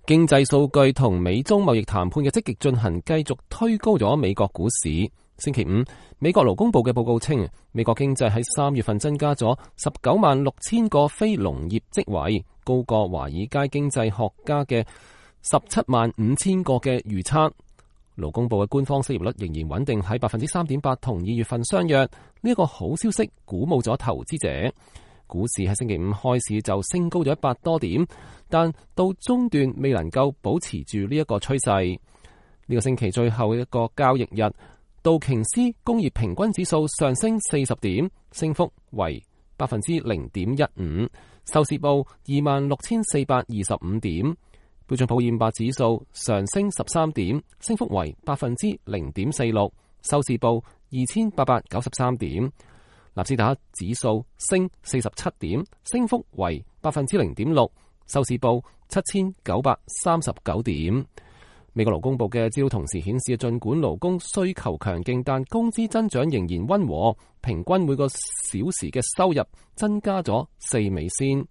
經濟數據同美中貿易談判嘅積極進行，繼續推高咗美國股市。星期五，美國勞工部嘅報告稱，美國經濟喺3月份增加咗196000個非農業職位，高過華爾街經濟學家嘅175,000個嘅預測。勞工部嘅官方失業率仍然穩定喺3.8%，同2月份相若。呢一個好消息鼓舞咗投資者。股市喺星期五開始就升高咗100多點，但到中段未能夠保持住呢一個趨勢。呢個星期最後一個交易日，道瓊斯工業平均指數上升40點，升幅為0.15%，收市報26,425點。標準普爾500指數上升13點，升幅為0.46%，收市報2,893點。納斯達克指數升47點，升幅為0.6%，收市報7,939點。美國勞工部嘅資料同時顯示，儘管勞工需求強勁，但工資增長仍然溫和，平均每個小時嘅收入增加咗4美仙。